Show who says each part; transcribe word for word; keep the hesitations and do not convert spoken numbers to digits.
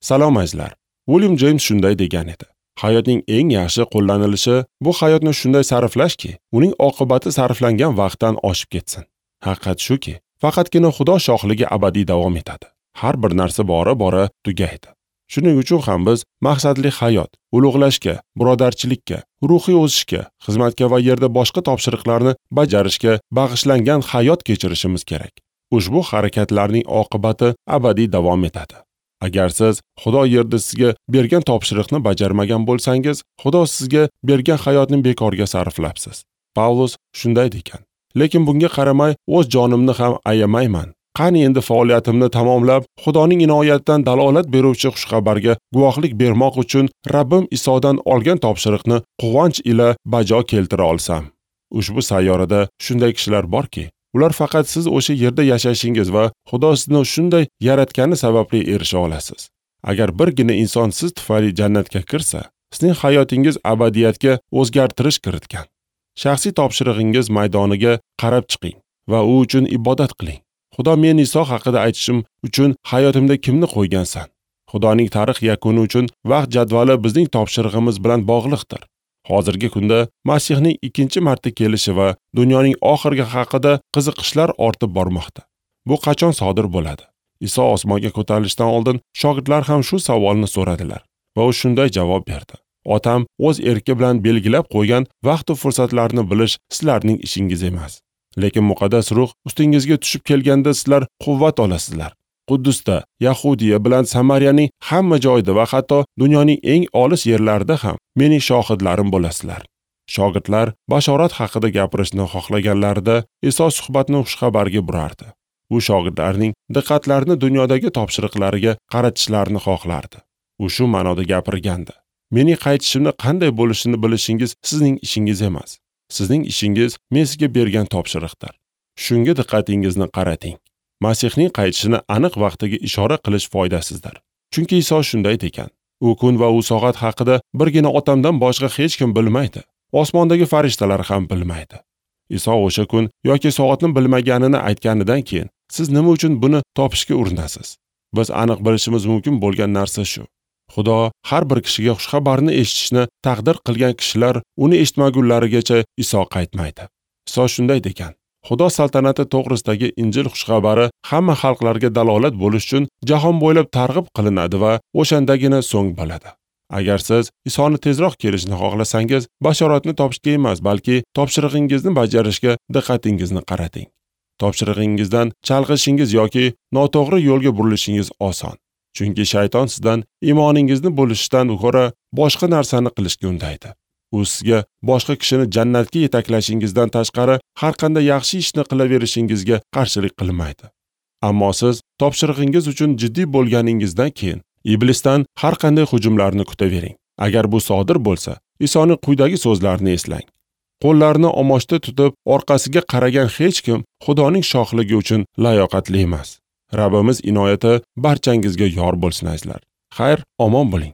Speaker 1: Salom azizlar. William James shunday degan edi: hayotning eng yaxshi qo'llanilishi bu hayotni shunday sarflashki, uning oqibati sarflangan vaqtdan oshib ketsin. Haqiqat shuki, faqatgina Xudo shohligi abadiy davom etadi. Har bir narsa bora-bora tugaydi. Shuning uchun ham biz maqsadli hayot, ulug'lashga, birodarchilikka, ruhiy o'sishga, xizmatga va yerda boshqa topshiriqlarni bajarishga bag'ishlangan hayot kechirishimiz kerak. Ushbu harakatlarning oqibati abadiy davom etadi. Agar siz Xudo yerda sizga bergan topshiriqni bajarmagan bo'lsangiz, Xudo sizga bergan hayotni bekorga sarflabsiz. Pavlus shunday degan: lekin bunga qaramay o'z jonimni ham ayamayman. Qani endi faoliyatimni tamomlab, Xudoning inoyatidan dalolat beruvchi xushxabarga guvohlik bermoq uchun Rabbim Isodan olgan topshiriqni quvonch ila bajo keltira olsam. Ushbu sayyorada shunday kishilar borki, ular faqat siz o'sha yerda yashashingiz va Xudo sizni shunday yaratgani sababli erisha olasiz. Agar birgina inson siz tufayli jannatga kirsa, sizning hayotingiz abadiyatga o'zgartirish kiritgan. Shaxsiy topshirig'ingiz maydoniga qarab chiqing va u uchun ibodat qiling. Xudo men Iso haqida aytishim uchun hayotimda kimni qo'ygansan? Xudoning tarix yakuni uchun vaqt jadvali bizning topshirig'imiz bilan bog'liqdir. Hozirgi kunda Masihning ikkinchi marta kelishi va dunyoning oxirgi haqida qiziqishlar ortib bormoqda. Bu qachon sodir bo'ladi? Iso osmonga ko'tarilishidan oldin shogirdlar ham shu savolni so'radilar va u shunday javob berdi: Otam o'z erki bilan belgilab qo'ygan vaqt va fursatlarni bilish sizlarning ishingiz emas. Lekin muqaddas ruh ustingizga tushib kelganda sizlar quvvat olasizlar. Quddusda, Yahudiya bilan Samariyaning hamma joyida va hatto dunyoning eng olis yerlarida ham mening shohidlarim bo'lasizlar. Shogirdlar bashorat haqida gapirishni xohlaganlarida Iso suhbatni xushxabarga burardi. U shogirdlarning diqqatlarini dunyodagi topshiriqlariga qaratishlarini xohlardi. U shu ma'noda gapirgandi: mening qaytishimni qanday bo'lishini bilishingiz sizning ishingiz emas. Sizning ishingiz men sizga bergan topshiriqdir. Shunga diqqatingizni qarating. Masihning qaytishini aniq vaqtiga ishora qilish foydasizdir. Chunki Iso shunday degan: u kun va u soat haqida birgina otamdan boshqa hech kim bilmaydi. Osmondagi farishtalar ham bilmaydi. Iso o'sha kun yoki soatni bilmaganini aytganidan keyin siz nima uchun buni topishga urinasiz? Biz aniq bilishimiz mumkin bo'lgan narsa shu: Xudo har bir kishiga xushxabarni eshitishni taqdir qilgan kishilar uni eshitmagunlarigacha Iso qaytmaydi. Iso shunday degan: Xudo saltanati to'g'risidagi Injil xushxabari hamma xalqlarga dalolat bo'lish uchun jahon bo'ylab targ'ib qilinadi va o'shandagina so'ng bo'ladi. Agar siz Isoni tezroq kelishini xohlasangiz, bashoratni topishga emas, balki topshirig'ingizni bajarishga diqqatingizni qarating. Topshirig'ingizdan chalg'ishingiz yoki noto'g'ri yo'lga burilishingiz oson. Chunki shayton sizdan iymoningizni bo'lishdan ko'ra boshqa narsani qilishga undaydi. U sizga boshqa kishini jannatga yetaklashingizdan tashqari har qanday yaxshi ishni qilaverishingizga qarshilik qilmaydi. Ammo siz topshirig'ingiz uchun jiddiy bo'lganingizdan keyin iblisdan har qanday hujumlarni kutavering. Agar bu sodir bo'lsa, Isoning quyidagi so'zlarini eslang: qo'llarini omochda tutib orqasiga qaragan hech kim Xudoning shohligi uchun layoqatli emas. Rabbimiz inoyati barchangizga yor bo'lsin azizlar. Xayr, omon bo'ling.